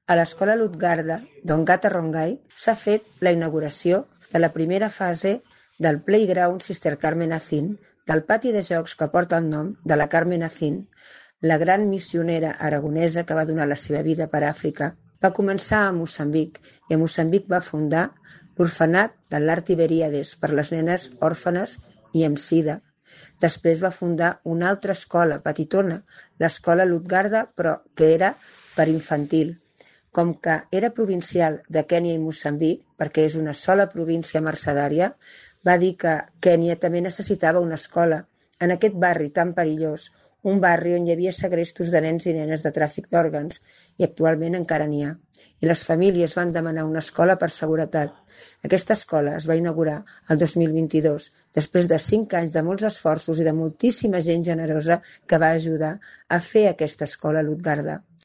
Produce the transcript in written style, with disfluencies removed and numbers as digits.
A l'escola Lutgarda d'Ongata Rongai s'ha fet la inauguració de la primera fase del Playground Sister Carmen Azin, del pati de jocs que porta el nom de la Carmen Azin, la gran missionera aragonesa que va donar la seva vida per Àfrica. Va començar a Moçambic i a Moçambic va fundar l'orfenat de l'Art Iberíades per les nenes òrfanes i amb sida. Després va fundar una altra escola petitona, l'escola Lutgarda, però que era per infantil. Com que era provincial de Kènia i Moçambic, perquè és una sola província mercedària, va dir que Kènia també necessitava una escola en aquest barri tan perillós, un barri on hi havia segrestos de nens i nenes de tràfic d'òrgans, i actualment encara n'hi ha. I les famílies van demanar una escola per seguretat. Aquesta escola es va inaugurar el 2022, després de 5 anys de molts esforços i de moltíssima gent generosa que va ajudar a fer aquesta escola Lutgarda.